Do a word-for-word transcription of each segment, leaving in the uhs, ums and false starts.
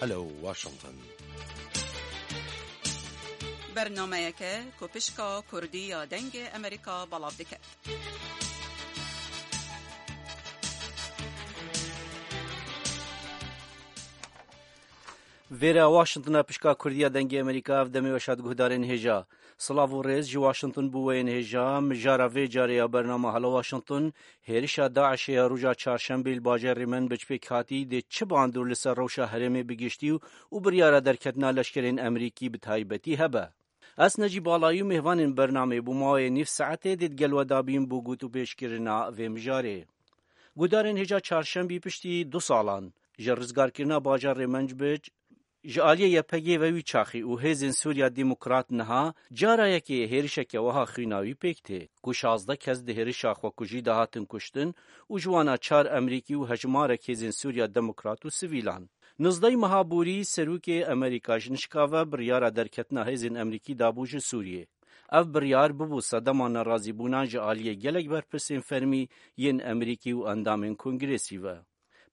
Alo Washington. Bernameyeke ku pişka Kurdî ya Dengê Amerîka belav dike. Vêre Washingtona pişka Kurdiya Dengê Amerîka, ev demê weşa di guhdarên hêja. Silav û rêz ji Washington bo we yên hêja. Mijara vê carê ya bernama Hala Washington, hêrişa DAIŞê ya roja çarşembê li bajarê Menbic pêk hatî, dê çi bandor li ser rewşa herêmê bi giştî û, û biryara derketina leşkerên Amerîkî bi taybetî hebe? Ez Necîb Alayî û mêvanên bernamê bo mawê nîv saetê dê digel we dabîn bo gotûpêşkirina vê mijarê. Guhdarên hêja çarşembî piştî du salan ji rizgarkirina bajarê Menbic, ji aliyê YPG'ê ve wî çaxî û Hêzên Sûriya Demokrat niha cara yekê hêrişeke wiha xwînawî pêk tê, ku şazdeh kes di hêrişa xwekujî de hatin kuştin û ji wana çar Amerîkî û hejmarek Hêzên Sûriya Demokrat û sivîlan. Nozdehê meha borî Serokê Amerîka ji nişka ve biryara derketina hêzên Amerîkî dabû ji Sûriyê. Ev biryar bibû sedema nerazîbûnan ji aliyê gelek berpirsên fermî yên Amerîkî û endamên Kongresî ve.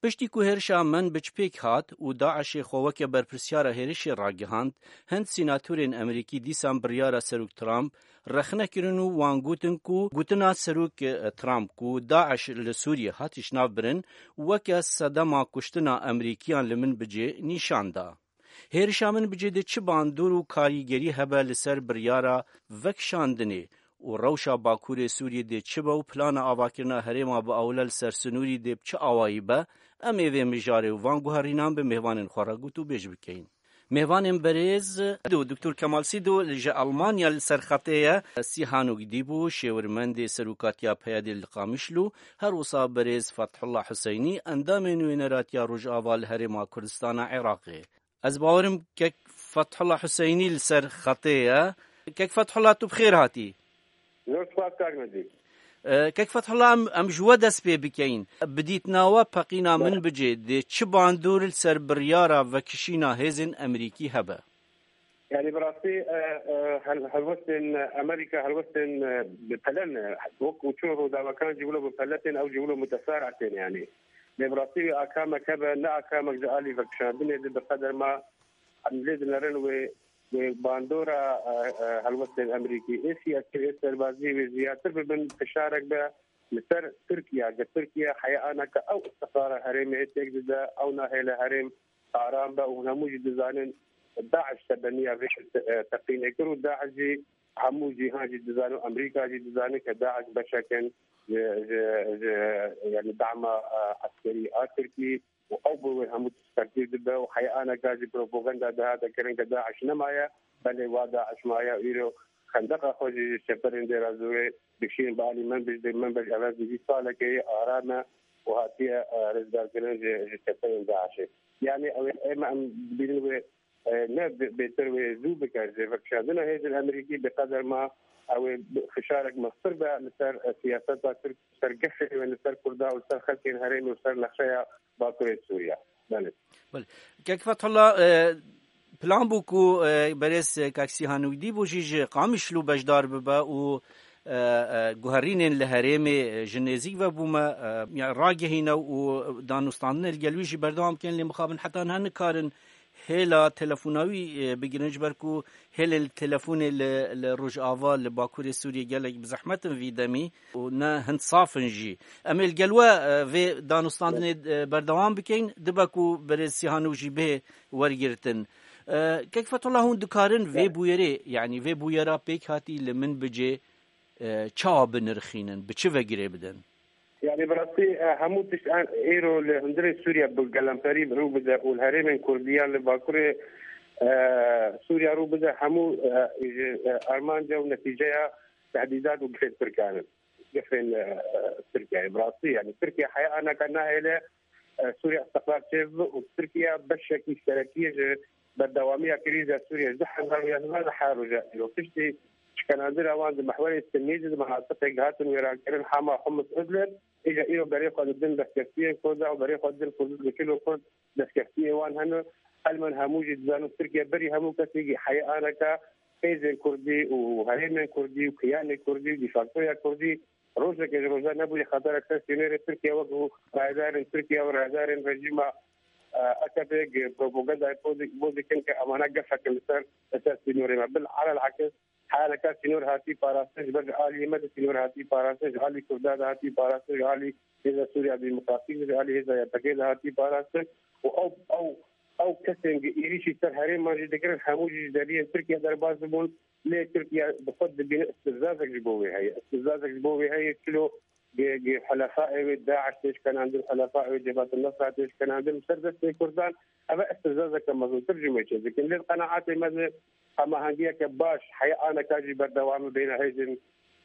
Piştî ku hêrişa Menbic pêk hat û DAIŞê xwe weke berpirsyara hêrişê ragihand, hin sînatorên Amerîkî dîsan biryara Serok Trump rexne kirin û wan gotin ku gotina Serok, e, Trump ku DAIŞ li Sûriyê hat îşnavbirin, weke sedema kuştina Amerîkiyan li Menbicê nîşan da. Hêrişa Menbicê dê çi bandor û karîgerî hebe li ser biryara vekişandinê û rewşa Bakurê Sûriyê dê çi be û plana avakirina herêma bi ewle li ser sinûrî dê bi çi awayî be, em ê vê mijarê û van guherînan bi mêvanên xwe re gotûbêj bikeyin. Mêvanên berêz, Doktor Kemal Sîdo ji Almanya li ser xetê ye, Sîhanok Dîbo, şêwirmendê Serokatiya P Y D'ê li Qamişlo, her wisa berêz Fethullah Huseynî, endamê Nûneratiya Rojava li Herêma Kurdistana Iraqê. Ez bawerim kek Fethullah Huseynî li ser xetê ye. Kek Fethullah, tu bi xêr hatî. Zor spas, kak Necîb. E, kek Fethullah, em, em ji we dest pê bikeyin. Bi dîtina we peqîna Bele. Menbicê dê çi bandor li ser biryara vekişîna hêzên Amerîkî hebe? Yani bi rastî, e, e, hel-, helwestên Amerîka, helwestên, e, bi pele ne. Wek û çûn Rûdawekan jî wilo bi pele tên, ew jî wilo mutesarî tên yani. Lê bi rastî wî akamek hebe, ne akamek ji alî vekişandinê de bi qeder ma em lê dinerin wê, wê bandora, e, e, helwestên Amerîkî, ê siyasî, ê serbazî wê ziyadtir bibin, fişarek be li ser Tirkiye, ge Tirkiye heya aneke ew istiqrara herêmê têk dide, ew nahêle herêm aram be û hûn hemû jî dizanin DAIŞ sebeniya vê, e, teqînê kir û DAIŞ jî hemû cîhan jî dizane û Amerîka jî dizane ke DAIŞ beşek in ji, ji, ji, yani dama, e, eskerî a Tirkî û ew bi wê hemû tişt tevdîr dibe û heya aneka jî propaganda dihate kirin ke DAIŞ nemaye, belê wa DAIŞ maye û îro xendeqa xwe jî ji çeperên Dêra Zorê dikişînin bi alî Menbic, dê Menbic ev ez dibî salekê yê aram e û hatiye, e, rizgarkirin ji, ji çeperên DAIŞê. Yani ew ê, ême em dibînin wê e, ne bê-, bêtir wê zû bike ji vekişandina hêzên Amerîkî bi qeder ma ew ê bi-, fişarek meztir be li ser, e, siyaseta Tirk, li ser gefê wê, li ser Kurda û li ser xelkên herêmê û li ser nexşeya Bakurê Sûriya. Belê. Belê. Kek Fethullah, e, plan bû ku, e, berêz, e, Kak Sîhan Ûgdî bû jî ji Qamişlo beşdar bibe û, e, e, guherînên li herêmê, e, ji nêzîk ve bûme, e, ya ragihîne û danûstandinê li gel wî jî berdewam bikin, lê mixabin heta niha nikarin hêla telefona wî, e, bigirin, ji ber ku hêlên telefonê li, li Rojava, li Bakurê Sûriyê gelek bi zehmet in vî demî û ne hind saf in jî. Em ê li gel we, e, vê danûstandinê, e, berdewam bikeyin, dibe ku berêz Sîhano jî bihê wergirtin. E, Kek Fethullah, hûn dikarin vê Evet. bûyerê, yanî vê bûyera pêk hatî li Minbicê, e, çawa binirxînin, bi çi ve girê bidin? Yani bi rastî, e, hemû tişt an-, êro li hundirê Sûriye bi gelemperî rû bide û li herêmên Kurdiyan li Bakurê, e, Sûriye rû bide, hemû, e, ji, e, armanca û netîceya tehdîdat û gefên Tirkan in. Gefên, e, Tirkiyeyê. Bi rastî, yani Tirkiye heya anaka nahêle, e, Sûriye istiqrar çêbibe û Tirkiye beşekî serekî ye ji berdewamiya krîza Sûriye ji du hezar û yazdehan li her roja îro. Piştî şikenandina wan di mehwerê Sinî de di menatiqê gihatin wêrankirin, Hama, Humus, Idlib, îja îro berê xwe didin destkeftiyên Kurda û berê xwe didin Kurd, dikil û Kurd destkeftiyê wan hene. Elmen hemû jî dizanin Tirkiye berî hemû kesî heya anaka hêzên Kurdî û herêmên Kurdî û kiyanê Kurdî û defaktoya Kurdî rojekê ji rojan nebûye xeterek ser sînorê Tirkiye, wek û rayedarên Tirkiye û rayedarên rejîma e, AKP gi propagandayê bo di-, bo dikin ke emana gefek in li ser, li ser sînorê me. Bil alel akis, heyaleka sînor hatî parastin, ji ber ji aliyê me de sînor hatî parastin, ji alî Kurda de hatî parastin, ji alî Hêza Sûriya Demokratîk de, ji alî Hêza Y P G de hatî parastin û ew, ew, ew kesên gi êrîşî ser herêman jî dikirin, hemû jî ji deriyên Tirkiye derbas bibûn. Lê Tirkiye bi xwe dibîne îstihzazek ji bo wê heye. Îstihzazek ji bo wê heye, çilo gi, gi helefaê wê DAIŞ tê şkenandin, helefaê wê Cebhat el-Nusra tê şkenandin, li ser destê Kurdan, ev e îstihzazeke mezintir ji me çêdikin. Lê di qenaetê me de hemahengiyeke baş heye, aneka jî berdewam e beyna hêzên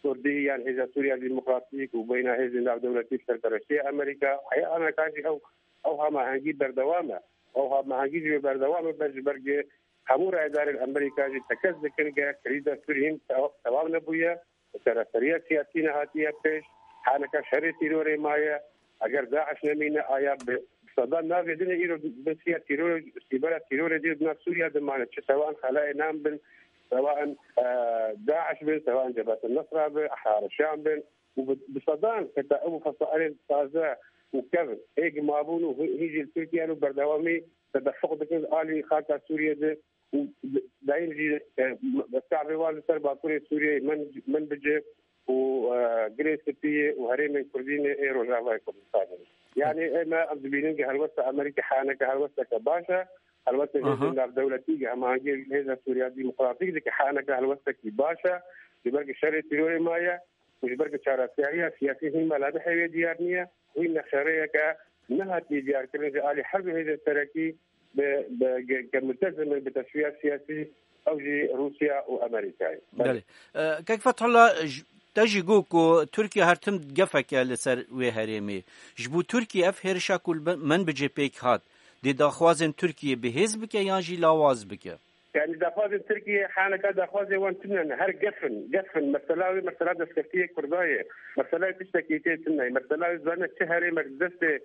Kurdî yan Hêza Sûriya Demokratîk û beyna hêzên navdewletî bi serpereştiya Amerîka. Heye aneka jî ew, ew hemahengî berdewam e. Ew hemahengî jî wê berdewam e, ber ji ber ku hemû rayedarên Amerîka jî tekez dikin ku krîza Sûriyê hin te-, tewam nebûye, çareseriya siyasî nehatiye pêş, haneka şerê tîrorê maye. Eger DAIŞ nemîne, aya bi, bi sedan navê din e îro bi siya tîrorê, sîbera tîrorê dî di nav Sûriya de mane. Çi sewan Xelayê Nan bin, sewan, e, DAIŞ bin, sewan Cebhet el-Nusra bin, Ehrar Şam bin. Û bi, bi sedan heta ew fesailên taze û kevn ê gi mabûn û hi-, hîn jî li Tirkiye û berdewamî tedefuq dikin li alî xaka Sûriyê de û d-, dayîm jî, e, m-, çavê wan li ser Bakurê Sûriyeyê, Min-, Minbicê û, e, Girê Spiyê û herêmên Kurdînê ê Rojavayê Kurdistanê. Yanî ê me ev dibînin ki helwesta Amerîka haneke helwesteke baş e, helwestên Aha. hêzên navdewletî ki hemahengiyê hêza Sûriya Demokratîk dike haneke helwestekî baş e, ji ber ki şerê tîrorê maye û ji ber ki çareseriya siyasî hîn mala bihêvê diyar niye, hîn nexşerêyeke nehatiye diyarkirin ji alî her du hêzên serekî bi, bi, ge-, ke multezim in bi teşwiya siyasî, ew jî Rûsya û Amerîkayê. Belê. Belê. E, Kek Fethullah, j-, te jî got ku Tirkiye her tim gefek e li ser wê herêmê. Ji bo Tirkiye ev hêrişa ku li Minbicê pêk hat, dê daxwazên Tirkiye bi hêz bike yan jî lawaz bike? Yani daxwazên Tirkiye, haneka daxwazê wan tune ne, her gef in, gef in. Mesela wê, mesela destkeftiyê Kurda ye. Mesela wê tiştekî tê tune ye. Mesela wê zane çi herêmek destê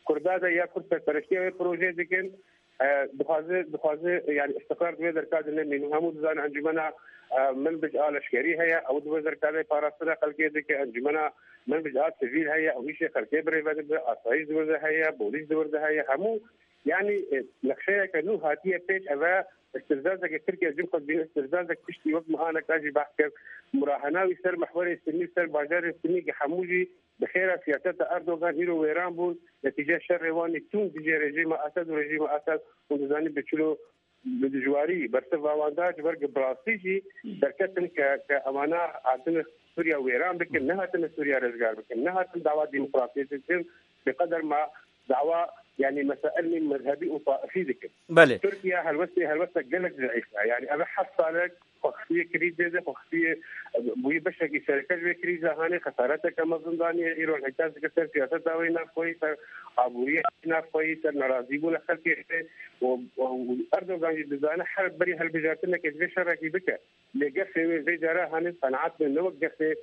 Kurda de ya Kurd serpereştiya wê projeyê dikin, e, dixwaze, dixwaze, yani, îstiqrar di wê derka de nemîne. Hemû dizane encûmena, e, Minbic a leşkerî heye, ew di wê derka de parastina xelkê dike. Encûmena Minbic a sivîl heye, ew îşê xelkê birêve dibe, asayîş di wir de heye, polîs di wir de heye. Hemû, yani, e, nexşeyeke nû hatiye pêş, ev e îstihzazeke Tirkiye jin xwe dibîne îstihzazek piştî wek me aneka jî behs kir. Murahena wî ser mihwerê Sunî, ser bajarê Sunî ki hemû jî bi xêra siyaseta Erdogan îro wêran bûn, netîce şerê wan ê tund dijî rejîma Esed û rejîma Esed, hûn dizanî bi çilo, bi dijwarî bersiva wan da, ji ber ku bi rastî jî derketin ke, ke emana hatine Sûriya wêran bikin, nehatine Sûriya rizgar bikin, nehatin dawa demokrasiyê bikin, bi qeder ma dawa, yani, mesailên mezhebî û taifî dikin. Belê. Tirkiye helwestê, helwestek gelek zeîf e. Yani, ev heft salek xwe xistî krîzê de, xwe xistî bûyî beşekî sereke ji vê krîza hanê, xesareteke mezin daniye. Îro înîkas dike ser siyaseta wê navxweyî, ser aboriya wê navxweyî, ser nerazîbûna xelkê wê. Û, û Erdogan jî dizane her berî hilbijartinekê divê şerekî bike. Lê gefê wê vê cara hanê qenaet ne, ne wek gefê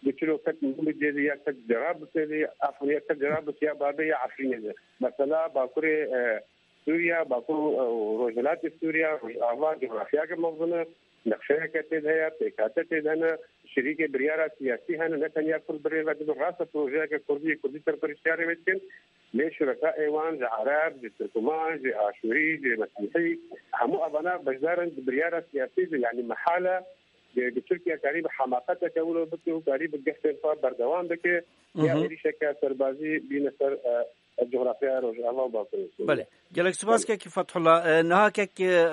di çilo ket Minbicê de ya ket Cerablusê de, afûn ya ket Cerablus ya babê ya Efrînê de. Mesela Bakurê, e, Sûriya, Bakur û, e, Rojhilatê Sûriya, Rojava, cografyake mezin e, nexşeyeke tê de heye, pêkhate tê de hene, şirîkê biryara siyasî hene, ne tenya Kurd birêve dibin, rast e projeyeke Kurdî, Kurdî serperiştiyarê wê dikin, lê şurekaê wan ji Ereb, ji Tirkman, ji Aşûrî, ji Mesîhî, hemû evana beşdar in di biryara siyasî de, yanî mehal e, Tirkiye karî bi hemaqeteke wilo bike û karî bi gefên xwe berdewam bike, ya Hı hı. êrîşeke serbazî bîne ser, e, cografyaya Rojava û Bakurê Sûriyê. Belê. Gelek spas Belê. kekî Fethullah. E, niha kek, e,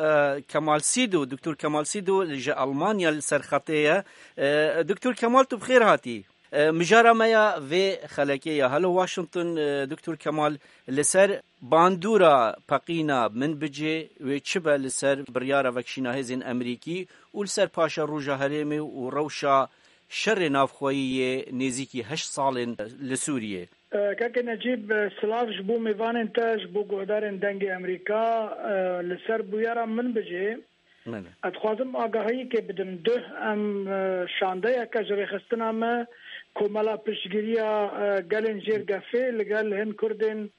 Kemal Sîdo, Doktor Kemal Sîdo ji Almanya li ser xetê ye. E, Doktor Kemal, tu bi xêr hatî. E, mijara me ya vê xelekê ya Hello Washington, e, Doktor Kemal, li ser bandora peqîna Minbicê wê çi be li ser biryara vekişîna hêzên Amerîkî û li ser paşeroja herêmê û rewşa şerê navxweyî yê nêzîkî heşt salên li Sûriyê. E, Keke Necîb, e, silav ji bo mêvanên te, ji bo guhdarên Dengê Amerîka, e, li ser bûyera Minbicê. Belê. Ez dixwazim agahiyekê bidim. Duh em, e, şandeyeke ji rêxistina me, Komela Piştgiriya, e, Gelên Jêrgefê li gel hin Kurdên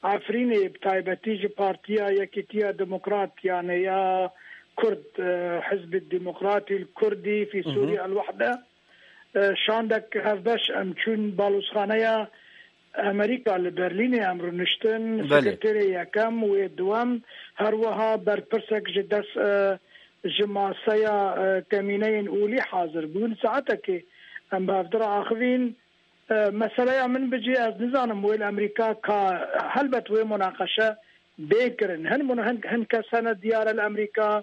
Efrînê, bi taybetî ji Partiya Yekîtiya Demokrat, yani ya Kurd, e, Hizb Demokratî Kurdî fî Hı hı. Sûriye El Wehde, e, şandek hevbeş em çûn balozxaneya, Amerîka li Berlînê em rûniştin, Belê. Sekreterê yekem wê duwem, her wiha berpirsek ji dest, e, ji maseya, e, kemîneyên olî hazir bûn. Saetekê em bi hevdira axivîn. E, meseleya min bicî, ez nizanim wê li Amerîka ka helbet wê munaqeşe bê kirin. Hin mun-, hin, hin kes hene diyar e li Amerîka,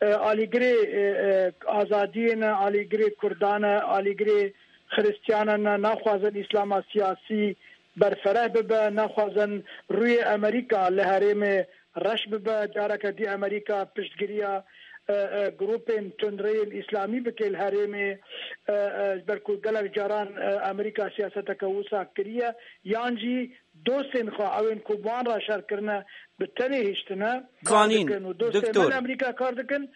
e, alîgirê, e, e, azadiyê ne, alîgirê Kurdan e, alîgirê Xiristiyana ne, naxwazin Îslama siyasî berfereh bibe, naxwazin rûyê Amerîka li herêmê reş bibe, careke dî Amerîka piştgiriya, e, e, grûpên tundreyên Îslamî bike li herêmê, e, e, ji ber ku gelek caran, e, Amerîka siyaseteke wisa kiriye, yan jî dostên xwe, ew ên ku bi wan re şer kirine, bi tenê hiştine, kar Zanîn, dikin û dostên doktor. Me li Amerîka kar dikin,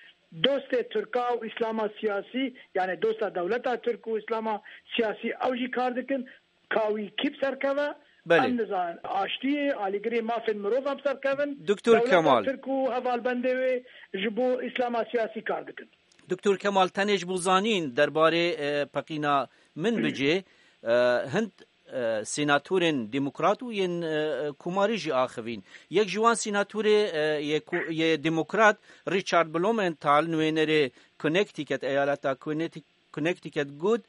dostê Tirka û Îslama siyasî, yani dosta dewleta Tirk û Îslama siyasî, ew jî kar dikin, ka wî kî bi ser keve, Belê. Em nizanin. Aştiyê, alîgirê mafên mirovan bi ser kevin, Doktor dewleta Kemal. Tirk û hevalbendê wê ji bo Îslama siyasî kar dikin. Doktor Kemal, tenê ji bo zanîn derbarê, e, peqîna min bicê, e, hind, e, senatorên demokrat û yên, e, komarî jî axivîn. Yek ji wan senatorê, e, yê ku-, yê demokrat Richard Blumenthal, nûênerê Connecticut, eyaleta Connecticut, Connecticut got,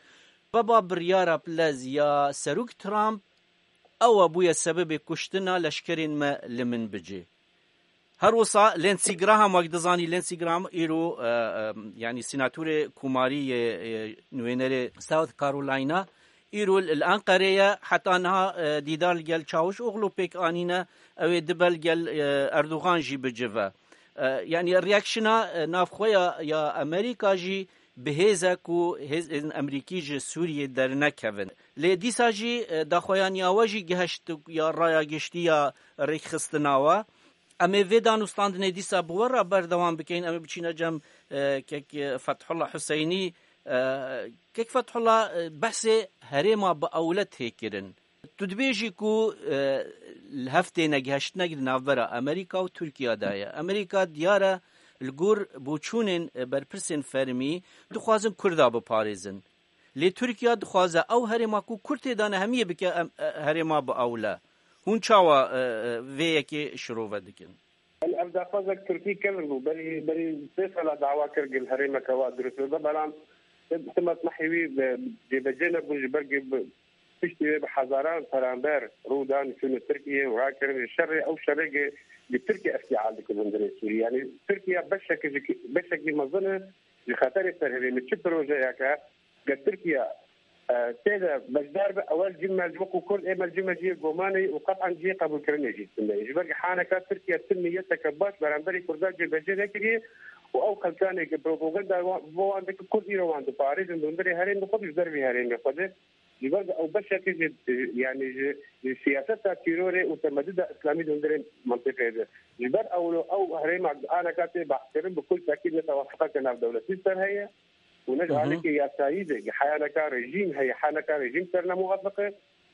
Seba biryara bilez ya Serok Trump ew e bûye sebebê kuştina leşkerên me li min bicê. Her wisa Lindsey Graham, wek dizanî, Lindsey Graham îro, e, e, yanî senatorê komarî yê, e, nûênerê South Carolina, îro li Enqerê ye, heta niha, e, dîdar li gel Çavuşoglu pêk anîne, ew ê dibe li gel, e, Erdogan jî bicive. E, yanî reaksiyona, e, navxwe ya, ya Amerîka jî bi hêz e ku hêzên Amerîkî ji Sûriyê dernekevin. Lê dîsa jî, e, daxuyaniya we jî gihişt ya raya giştî ya rêkxistina we. Em ê vê danûstandinê dîsa bi we re berdewam bikeyin. Em ê biçîne cem, e, kek, e, Fethullah Huseynî, e, kek Fethullah, e, behsê herêma bi ewle tê kirin. Tu dibêjî ku, e, li hev têne gihiştinek di navbera Amerîka û Tirkiya de ye. Amerîka diyar e li gor boçûnên, e, berpirsên fermî dixwazin Kurda biparêzin. Lê Tirkiya dixwaze ew herêma ku Kurd tê de ne hemiyê bike em, e, herêma bi ewle. Hûn çawa, e, e, vê yekê şirove dikin? Ev daxwazek Tirkî kevn bû. Berî, berî sê sala dawa kir gel herêmeke wa dirust bibe, belam tim-, timat mehê wî bi cêbecê nebûn, ji ber ku bi piştî wê bi hezaran peramber rû dan çûne Tirkiye û rakirin ji şerê, ew şerê ku li Tirkiye îftîal dike hundirê Sûrî. Yanî Tirkiye beşek ji, beşekî mezin e ji xeterê ser herêmê. Çi projeyeke Ger Tirkiye, e, tê de beşdar be, ewel cî me ji wekû Kurd ê me cî me cî yê gomanê û qet'an cî yê qebûlkirinê jî tune ye. Ji ber ku haneka Tirkiye tu niyeteke baş beramberî Kurdan cêbecê nekiriye û ew xelkanê ku propaganda wan, bo wan dike, Kurd îro wan diparêzin di hundirê herêmê xwe de, ji dervî herêmê xwe de. Ji ber ku ew beşekî ji, yanî ji, ji siyaseta tîrorê û temedida îslamî di hundirê mentiqê de. Ji ber ew, ew herêma aneka tê behskirin bi kul tekîd ne tewafiqeke navdewletî ser heye. û ne ji Hı hı. alîkê yasayî de, heya neka rejîm heye, heya neka rejîm ser ne muwafiq e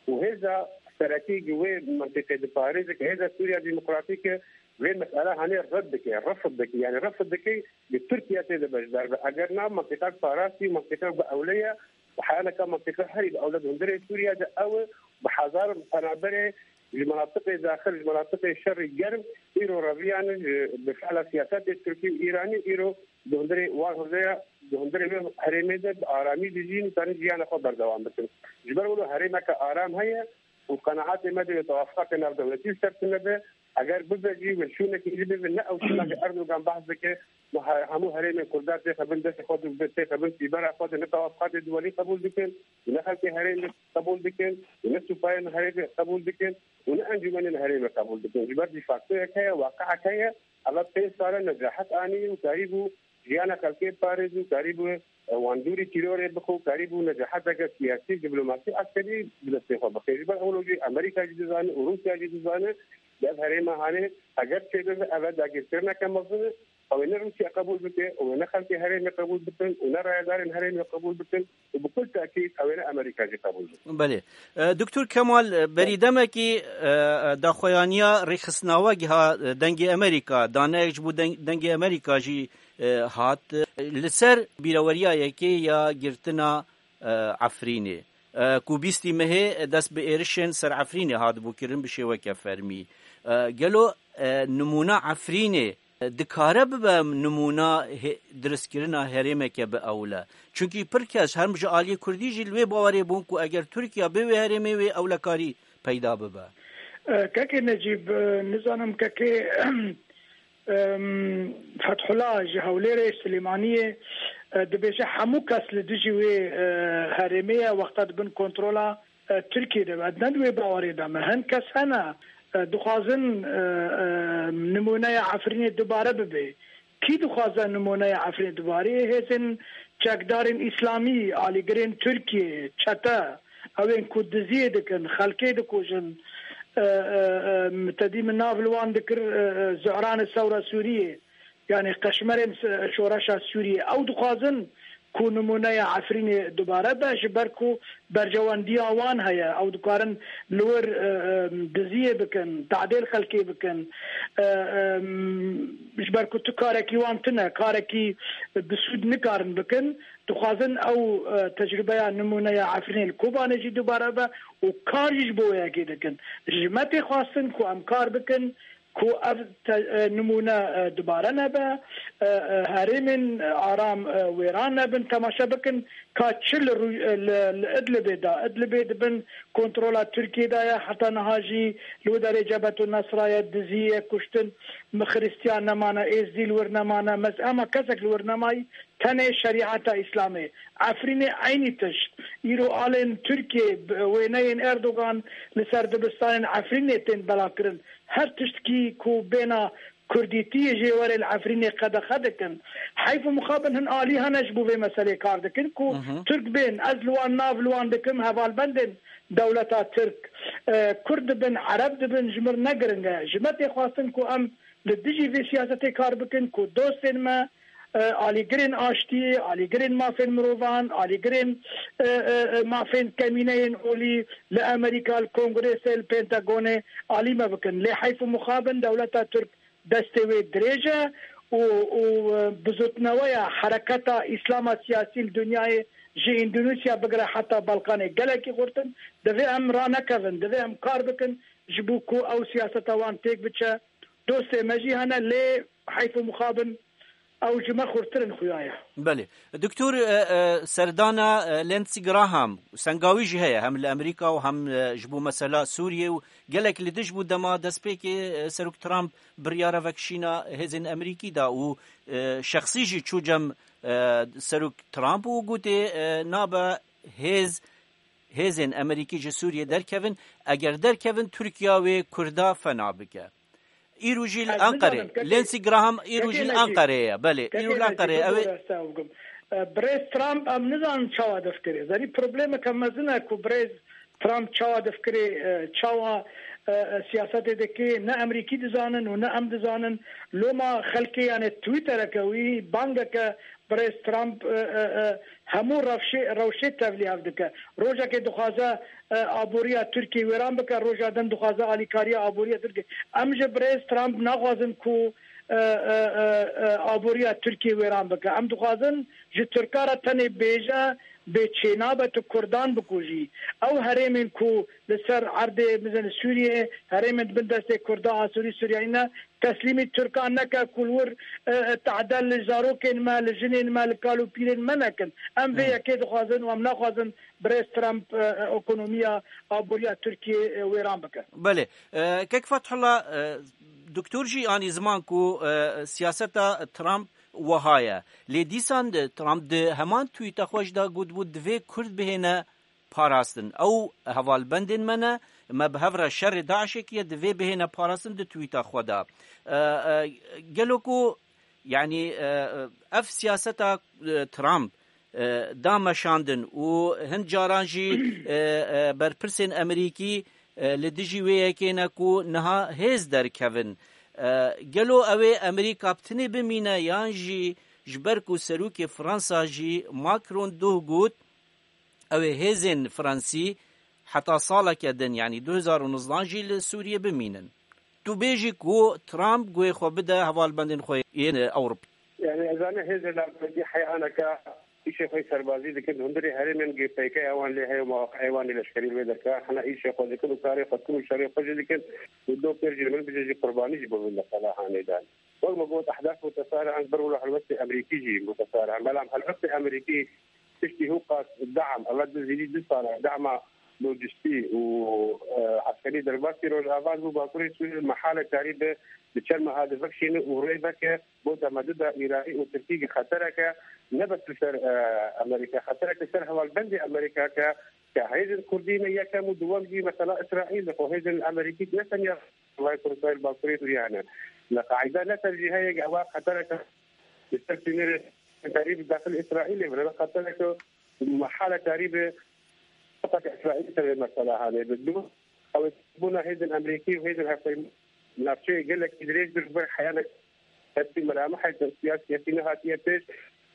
û hêza serekî gi wê mentiqê diparêze ke hêza Sûriya Demokratîk e, vê mesela hanê red dike, refd dike, yanî refd dike gi Tirkiye tê de beşdar be. Eger na mentiqek parastî û mentiqek bi ewle ye û heya neka mentiqe herî bi ewle di hundirê Sûriye de ew e, bi hezar penaberê ji menatiqê daxil, ji menatiqê şerî germ, îro reviyane, ji, bi fiila siyasetê Tirkî û Îranî, îro di hundirê wan hundeya, di hundirê wê herêmê de bi aramî dijîn û karin jiyana xwe berdewam bikin. Ji ber wilo herêmeke aram heye û qenaetê me de wê tewafiqeke navdewletî li ser tune be. Eger bibe jî wê şûnekî jî bibe, ne ew şûna ke Erdogan behs dike, û he-, hemû herêmên Kurdan têxe bin destê xwe de, têxe bin sîbera xwe de, ne tewafiqatê duwelî qebûl dikin, û ne xelkê herêmê qebûl dikin, û ne supayên herêmê qebûl dikin, û ne encûmenên herêmê qebûl dikin. Ji ber de factoyek heye, waqiek heye, eva pênc sal e necahet anî û karîbû jiyana xelkê biparêz û karîbû, e, wan dûrî tîrorê bixwe û karîbû necaheteke siyasî, diplomasî, eskerî bi destê xwe bixe. Ji ber ewlo jî Amerîka jî dizane û Rûsya jî dizane, di ev herêma hanê eger çêbibe, ev e dagirkirineke mezin e. Ew ê ne Rûsya qebûl bike, ew ê ne xelkê herêmê qebûl bikin û ne rayedarên herêmê qebûl bikin û bi kul tekîd ew ê ne Amerîka jî qebûl bikin. Belê. E, Doktor Kemal, e, berî demekî, e, e, daxuyaniya rêxistina we giha, e, Dengê Amerîka, daneyek ji bo Deng-, Dengê Amerîka jî, e, hat. E, li ser bîreweriya yekê ya girtina, e, Efrînê. e, ku bîstî mehê dest bi êrişên ser Efrînê hatibû kirin bi şêweke fermî. E, gelo, e, nimûna Efrînê, e, dikare bibe nimûna hê-, dirustkirina herêmeke bi ewle? Çunkî pir kes, her ji aliyê Kurdî jî li wê bawerê bûn ku eger Tirkiye bê wê herêmê wê ewlekarî peyda bibe. E, Kekê Necîb, e, nizanim kekê, em, Fethullah ji Hewlêrê, Silêmaniyê, e, dibêje hemû kes li dijî wê, e, herêmê ye, wexta dibin kontrola, e, Tirkiyê de be. Ne di wê bawerê de me. Hin kes hene, e, dixwazin, e, e, nimûneya Efrînê dubare bibe. Kî dixwaze nimûneya Efrînê dubare? Hêzên çekdarên îslamî, alîgirên Tirkiyê, çete, ew ên ku diziyê dikin, xelkê dikujin, e, e, e, te dî min nav li wan dikir, e, e, Zuhranê Sewra Sûriyê, yanî qeşmerên se-, şoreşa Sûriyê. Ew dixwazin ku nimûneya Efrînê dubare be, ji ber ku berjewendiya wan heye. Ew dikarin li wir, e, e, diziyê bikin, tadêl xelkê bikin. E, e, ji ber ku tu karekî wan tune, karekî bi sûd nikarin bikin, dixwazin ew, e, tecrûbeya nimûneya Efrînê li Kobanê jî dubare be û kar jî ji bo wê yekê dikin. Ji me tê xwestin ku em kar bikin ku ev te-, e, nimûne, e, dubare nebe, e, e, herêmên, e, aram, e, wêran nebin. Temaşe bikin ka çi li rû-, e, li, li Idlibê de. Idlibê di bin kontrola Tirkiyê de ye. Heta niha jî li wê derê Cebhetu Nesra ye, dizî ye, kuştin, Xiristiyan nemane, Êzdî li wir nemane, mez-, hema kesek li wir nemayî, tenê şerîeta Îslamê. Efrînê eynî tişt. Îro alên Tirkiyê, b-, wêneyên Erdogan li ser dibistanên Efrînê tên belakirin. Her tiştkî ku bêna Kurdîtiyê jê were li Efrînê qedexe dikin. Heyf û mixabin hin alî hene ji bo vê meselê kar dikin ku Hı hı. Tirk bên, ez li wan nav li wan dikim, hevalbendên dewleta Tirk, e, Kurd dibin, Ereb dibin, ji mir ne giring e. Ji me tê xwestin ku em li dijî vê siyasetê kar bikin ku dostên me, e, alîgirên aştiyê, alîgirên mafên mirovan, alîgirên, e, e, e, mafên kemîneyên olî li Amerîka, li Kongrêsê, li Pentagonê alî me bikin. Lê heyf û mixabin dewleta Tirk destê wê dirêj e û, û, e, bizotneweya hereketa Îslama siyasî li dinyayê ji Îndonîsya bigire heta Balkanê gelekî xurtin. Divê em ranekevin, divê em kar bikin ji bo ku ew siyaseta wan têk biçe. Dostê me jî hene, lê heyf û mixabin ew ji me xurtir in xuya ye. Belê. Doktor, e, e, serdana, e, Lindsey Graham, sengawî jî heye, hem li Amerîka û hem, e, ji bo mesela Sûriyê û gelek li dij bû dema destpêkê, e, Serok Trump biryara vekişîna hêzên Amerîkî da û, e, şexsî jî çû cem, e, Serok Trump û gotê, e, nabe hêz, hêzên Amerîkî ji Sûriyê derkevin, eger derkevin Tirkiya wê Kurda fena bike. Îro jî li Ez Enqerê, nizanim, kekê, Lindsey Graham îro kekê jî li Necîb, Enqerê ye. Belê, îro kekê li Necîb, Enqerê ye. Ew ê bibore ez te bikim. E, Birêz Trump em nizanin çawa difkirê. Zanî problemeke mezin e ku Birêz Trump çawa difkirê, e, çawa, e, e, siyasetê dikê, ne Emerîkî dizanin û ne em dizanin. Loma xelkê, yanê Twittereke wî, bangeke Birêz Trump, e, e, e, hemû rewşê, rewşê tevlî hev dike. Rojekê dixwaze, e, aboriya Tirkiyê wêran bike, roja din dixwaze alîkariya aboriya Tirkiyê. Em ji Birêz Trump naxwazin ku, e, e, e, e, aboriya Tirkiyê wêran bike. Em dixwazin ji Tirka re tenê bêje, bê çênabe tu Kurdan bikujî. Ew herêmên ku li ser erdê, bizin Sûriyê, herêmên di bin destê Kurda, Asûrî, Sûriyayî ne, teslîmî Tirkan neke ku li wir, e, e, tehdel li zarokên me, li jinên me, li kal û pîrên me nekin. Em vê Hı. yekê dixwazin û em naxwazin Birêz Trump, e, e, ekonomiya aboriya Tirkiyê, e, wêran bike. Belê. E, Kek Fethullah, e, Doktor jî anî ziman ku, e, siyaseta Trump wiha ye. Lê dîsan de Trump di heman tweeta xwe jî de gotibû, divê Kurd bihêne parastin. Ew hevalbendên me ne, me bi hev re şerê DAIŞê kiriye, divê bihêne parastin di tweeta xwe de. E, e, gelo ku, yanî, e, ev siyaseta, e, Trump, e, da meşandin û hin caran jî, e, e, berpirsên Amerîkî, e, li dijî wê yekê ne ku niha hêz derkevin. E, gelo ew ê Amerîka bi tinê bimîne yan jî ji ber ku serokê Fransa jî Macron doh got, ew ê hêzên Fransî heta saleke din, yanî du hezar û nozdan jî li Sûriyê bimînin. Tu bêjî ku Trump guhê xwe bide hevalbendên xwe yên Ewropî. Yani ez ane hêzê Ewropî heyaneke Îşê xwe serbazî dikin, hundirê herêmên G P K ewan lê heye û mewaqeyê wan ê leşkerî li wê derkeyan hene îşê xwe dikin û karê xwe dikin û şerê xwe jî dikin û do pêr jî min bijî jî qurbanî jî bibin li Qelehanê de. Wek me got, ehdaf mutesare an ber wilo helwestê Amerîkî jî mutesare an. Belam helwestê Amerîkî piştî hûqas dam, ela di zîdî du sala dama lojistî û, e, eskerî derbasî Rojava bû, Bakurê Sûriyê mehale karî bi, bi çend meha de vekşîne û rê veke bo temeduda Îranî û Tirkî xetereke ne bes li ser, e, Amerîka, xetereke ser hevalbendê Amerîka ke, ke hêzên Kurdî ne yekem û duwem jî mesela Îsraîl, xwe hêzên Amerîkî ne tenya Rojavayê Kurdistan, Bakurê Sûriyê hene. Li qaîde ne tercîheyek ewa xetereke li ser sînorê karî bi daxil Îsraîlê bine, ne xetereke mehala karî bi Îsraîl ser vê mesela hane. Bi du, ew bûna hêzên Amerîkî û hêzên hevpeyman navçeyê gelekî dirêj bir, ber heyanek hestî melamehek siyasî hestî nehatiye pêş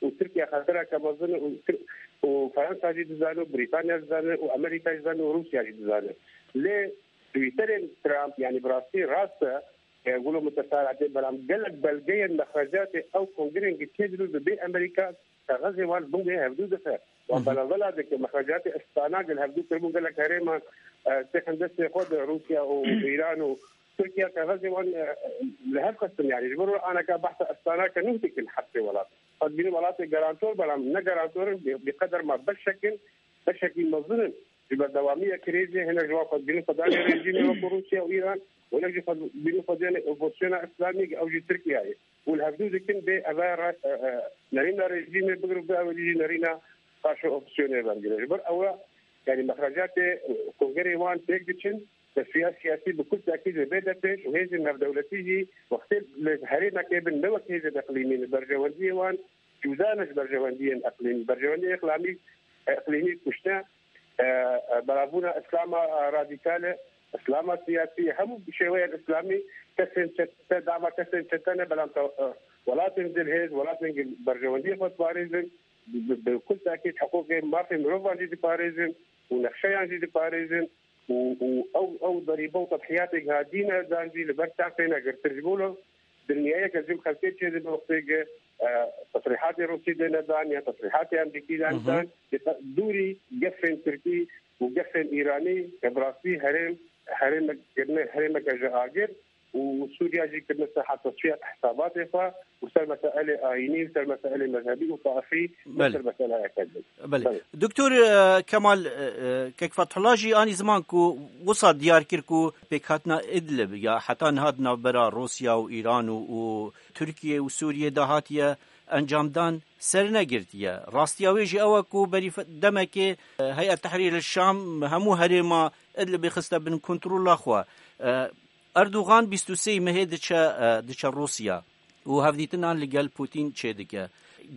û Tirkiye xetereke mezin û Tir-, û Fransa jî dizane û Brîtanya dizane û Amerîka jî dizane û Rûsya jî dizane. Lê Twitterên Trump, yanî bi rastî rast e, e, wilo mutesar hate, belam gelek belgeyên mexrecatê ew kongrên gi tê dirû bi bê Amerîka kaxezê wan bingê hevdû dixe. Wan Hı hı. belavela dike, mexrecatê istana gel hevdû kiribûn gelek herêman, e, têxin destê xwe de Rûsya û Îran û Tirkiye kaxezê wan, e, li hev xistin, yanî ji bo aneka behsa istana ke nûh dikin hepsê welat. Xwedbînî welatê garantor, belam ne garantor in, bi, bi qeder ma beşek in, beşekî mezin in. Ji berdewamiya krîzê hinek ji wan xwedbînî xwe dane rejîmê wekû Rûsya û Îran, û hinek jî xwedbînî xwe dane opozisyona Îslamî, ew jî Tirkiye ye. Û li hevdû dikin bê eve re-, e, e, nerîna rejîmê bigir û bê ewilî jî nerîna qarşî opozisyonê vengire. Ji ber ew re, yanî mexrecatê, e, kongerê wan têk diçin, tesfiya siyasî bi kul tekîd ve bête pêş û hêzên navdewletî jî wextê li herêmekê bin ne wek hêzên eqlîmî, li berjewendiyê wan cuda ne ji berjewendiyên eqlîmî. Berjewendiyê eqlîmî, eqlîmî kuşte, e, e, belavbûna Îslama, e, radîkal e, Îslama siyasî, hemû şêweyên Îslamî kesên çete, dama kesên çete ne, belam te-, e, welatên dilhêz, welatên berjewendiyê xwe diparêzin, bi, bi, bi kul tekîd hiqûqê mafê mirovan jî diparêzin û nexşeyan jî diparêzin. û, û ew, ew derîbe û tedhiyatê giha dîne dan jî li ber çav têne girtin. Ji bo lo dinyayeke jim xelkê çêdibe wextê ke, e, tesrîhatê Rûsî dêne dan ya tesrîhatê Amerîkî dan Hı hı. dan, di dûrî gefên Tirkî û gefên Îranî ke bi rastî herêm, herêmek kirine, herêmeke ji agir û Sûriya jî kirine seha tesfiya hesabatê xwe û ser meselê ayînî û ser meselê mezhebî û taifî ne Belê. ser meseleyeke din. Belê. Belê. Doktor, e, Kemal, e, e, Kek Fethullah jî anî ziman ku wisa diyar kir ku pêkhatina Idlib ya heta niha di navbera Rûsya û Îran û, û Tirkiye û Sûriye de hatiye encamdan sernegirtiye. Rastiya wê jî ew e ku berî fe-, demekê, e, Heyet Tehrîr el Şam hemû herêma Idlibê xiste bin kontrola xwe. E, Erdogan bîst û sê mehê diçe, e, diçe Rûsya û hevdîtinan li gel Putin çêdike.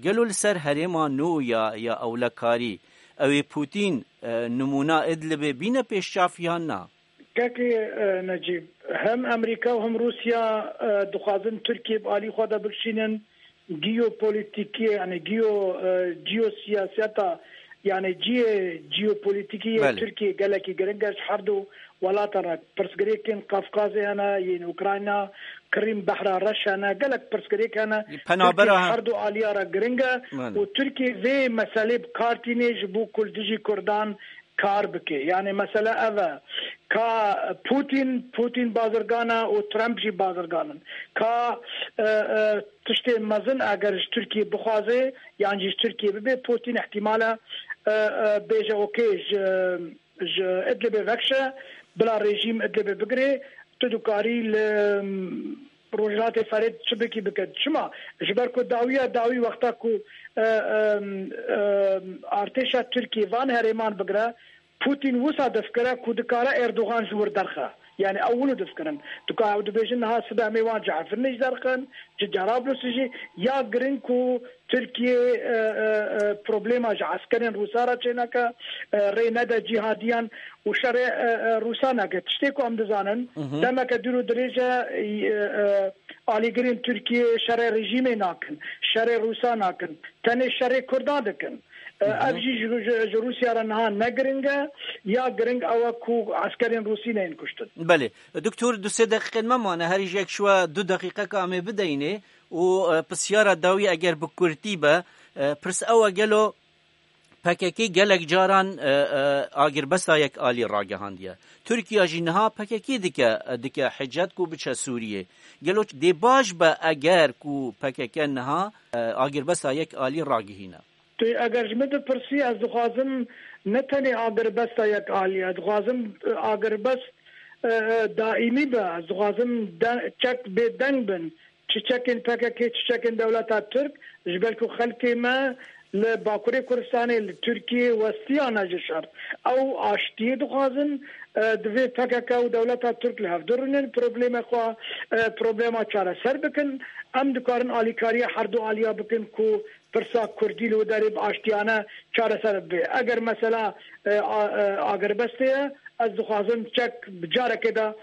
Gelo li ser herêma nû ya, ya ewlekarî, ew ê Putin, e, nimûna Idlibê bîne pêşçav yan na? Kekê, e, Necîb, hem Amerîka û hem Rûsya, e, dixwazin Tirkiye bi alî xwe de bikişînin, geopolitîkê, yani geo, e, geosiyaseta, yani cihê geopolitîkî yê Belê. Tirkiye gelekî giring e ji her du welatan re. Pirsgirêkên Kafkazê hene, yên Ukrayna, Krîm, Behra Reş hene, gelek pirsgirêk hene. Penabera Tirkiye ha- her du aliya re giring e Belê. û Tirkiye vê meselê bi kar tînê ji bo ku li dijî Kurdan kar bike. Yani mesele ev e. Ka Putin, Putin bazirgan e û Trump jî bazirgan in. Ka, e, e, tiştê mezin eger ji Tirkiye bixwaze, yan jî ji Tirkiye bibe, Putin ihtimal e, e, e, bêje, okey, ji, ji Idlibê vekşe, bila rejîm Idlibê bigire, tu dikarî li, Rojhilatê Ferê çi bikî bike. Çima? Ji ber ku dawiya dawî wexta ku, e, e, e, artêşa Tirkiyê van herêman bigire, Putin wisa dest kire ku dikare Erdogan ji wir derxe. Yani ew wilo dest kirin. Tu ka ew dibêjin niha sibe em ê wan Cefirnê jî derxin, ji Cerablusê jî ya giring ku Tirkiye, e, e, e, problema ji eskerên Rûsa re çêneke, e, rê nede cîhadiyan û şerê, e, e, Rûsa neke. Tiştê ku em dizanin, Hı hı. demeke dûr û dirêj e, e, e, alîgirên Tirkiye şerê rejîmê nakin, şerê Rûsa nakin, tenê şerê Kurdan dikin. E, Hı hı. ev jî ji, ji, ji Rûsya re niha ne giring e, ya giring ew e ku eskerên Rûsî neyên kuştin. Belê. Doktor, du sê deqîqên me mane, herî jek şiwe du deqîqeka em ê bideyînê û, e, pisyara dawî eger bi kurtî be, E, pirs ew e, gelo P K K gelek caran, e, e, agirbesta yek alî ragihandiye. Tirkiye jî niha P K K dike, dike hicet ku biçe Sûriyê. Gelo dê baş be eger ku P K K niha, e, agirbesta yek alî ragihîne? Tu eger ji min bipirsî, ez dixwazim ne tenê agirbesta yek alî, ez dixwazim, e, agirbest, e, e, daîmî be. Ez dixwazim de-, çek bê deng bin. Çi çekên P K K, çi çekên dewleta Tirk, ji ber ku xelkê me li Bakurê Kurdistanê, li Tirkiyê westiyane ji şer. Ew aştiyê dixwazin, e, divê P K K û dewleta Tirk li hev durûnin, problemê xwe, e, problema çareser bikin. Em dikarin alîkariya herdu aliya bikin ku pirsa Kurdî li wê derê bi aştiyane çareser bibe. Eger mesela, e, a, e, agirbestê ye, ez dixwazim çek bi carekê de,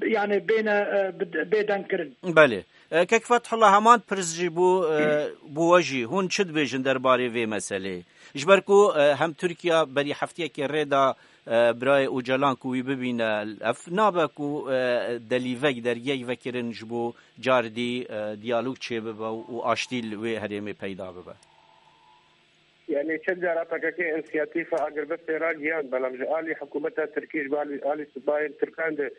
yani bêne, e, bi-, bêdeng kirin. Belê. E, Kek Fethullah, heman pirs jî bû, e, bû we jî. Hûn çi dibêjin derbarê vê meseleyê? Ji ber ku, e, hem Tirkiye berî heftiyekê rê da, e, birayê Ocalan ku wî bibîne, ev nabe ku, e, delîvek, dergiyek vekirin ji bo cardî, e, diyalog çêbibe û aştî li wê herêmê peyda bibe? Yani çend cara P K K însiyatîfa agirbestê ragihand, belam ji alî hikûmeta Tirkî, ji alî, alî sibayên Tirkan de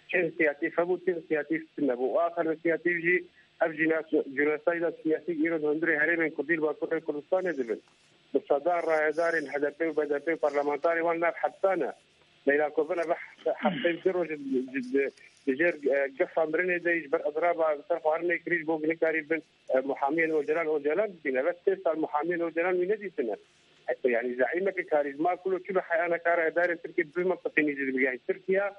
çi însiyatîf hebû, çi însiyatîf tune bû. Û axir însiyatîf jî ev jîna-, jînosayda siyasî îro di hundirê herêmên Kurdî li Bakurê Kurdistanê dibin. Bi sedan rayedarên H D P û B D P û parlamentarê wan nav hepsan e. Leyla Kovin ev heftê du roj di, di, di jêr, e, gefa mirinê de ji ber ediraba ser xwarinê kirî ji bo nikarî bin, e, muhamiyên Ocalan, Ocalan dibîne. Ve sê sal muhamiyên Ocalan wî nedîtine. E, yani zaîmeke karîzma kulo çi bi heyana kara edarên Tirkiye bi vî mentiqî nîzî dibî. Yani Tirkiye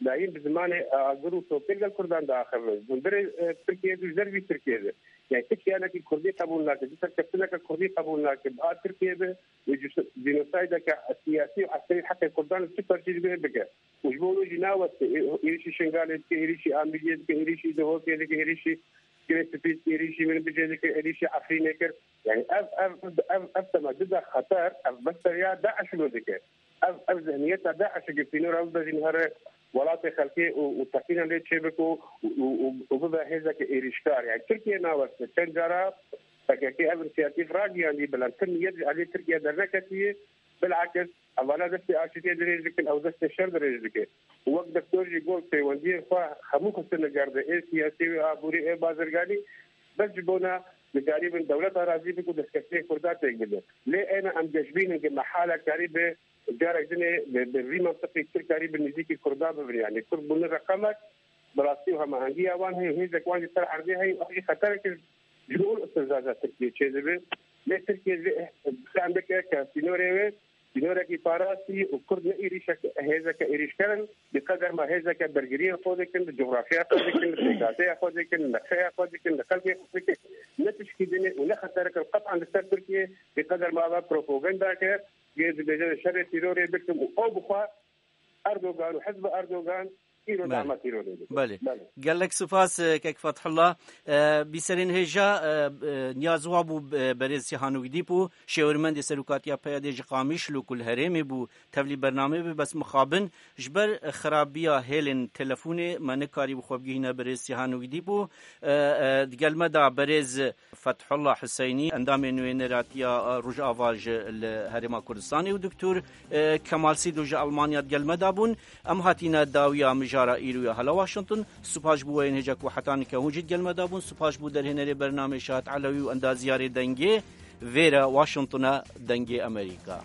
dayîm bi zimanê, e, agir û topê gel Kurdan diaxivin. Hundirê, e, Tirkiye di zer vî Tirkiye de. Yani Tirkiye nekî Kurdî qebûl nake, di serkeftineke Kurdî qebûl nake. Bi a Tirkiye de û cî-, cînosaydeke siyasî û eskerî heqê Kurdan li çi perçî dibê bike. Û ji bo wê jî naweste, ê-, êrîşî Şingalê dike, êrîşî Amîdiyê dike, êrîşî Duhokê dike, êrîşî Girê Spî dike, êrîşî Minbicê dike, êrîşî Efrînê kir. Yani ev, ev, ev, ev tema dide xeter, ev meseleya DAIŞ lo dike. Ev, ev zihniyeta DAIŞ e, sînora bibe jî here welatê xelkê û, û teqîna lê çêbik û, û, û, û bibe hêzeke êrîşkar. Yani Tirkiye naweste, çend cara P K K ev însiyatîf ragihandî, belam ti niyet ji aliyê Tirkiye derneketiye. Bilakis, evana destê aşitiyê dirêj dikin, ew destê şer dirêj dike. Û wek Doktor jî got, peywendiyên xwe hemû xistine gerde, ê siyasî, ê aborî, ê bazirganî, bes ji bona dikarîbin dewleta razî bik û destkeftiyê Kurda têk bide. Lê êna em geşbîn in, ki mehala karîbe carek dinê bi, bi vî mentiqî çi karî bi nêzîkî Kurda bibin. Yani Kurd bûne reqemek, bi rastî û hemahengiya wan heye, hêzek wan jî ser erdê heye û ev jî xetereke ji bo îstîfzaza Tirkiyê çêdibe. Lê Tirkiye vê, eh, fem bike ke sînorê wê sînorekî parastî û Kurd ne êrîşek, hêzeke êrîşker in, bi qeder ma hêzeke bergiriyê xwe dikin, bi cografyaya xwe dikin, bi pêkateya xwe dikin, bi nexşeya xwe dikin, bi xelkê xwe dikin, ne tişkî dinê û ne xeterek in qet'an li ser Tirkiye, bi qeder ma ava propaganda ke, yê dibêje şerê tîrorê bikim û ew bixwe Erdogan û hizba Erdogan îro Belê. dama tîrorê dikin. Belê. Belê. Gelek spas, e, Kek Fethullah. E, bîserên hêja, e, e, niyaz wa bû, e, berêz Sîhanûk Dîp û şêwirmendê serokatiya P Y D'ê ji Qamişlo ku li herêmê bû, tevlî bernamê bi, bes mixabin ji ber xirabiya hêlên telefonê me nikarî bi xwe bigihîne birêz Sîhanûk Dîp û, e, e, di gel me de berêz Fethullah Huseynî, endamê nûêneratiya, e, Rojava ji li Herêma Kurdistanê û Doktor, e, Kemal Sîdo ji Almanya di gel me de bûn. Em hatîne dawiya mijara îro ya Hala Washington. Spas ji bo we yên hêja ku heta nika hûn jî di gel me de bûn. Spas ji bo derhênerê bernamê Şahat Elewî û endaziyarê dengê. Vêre Washington e, Dengê Amerîka.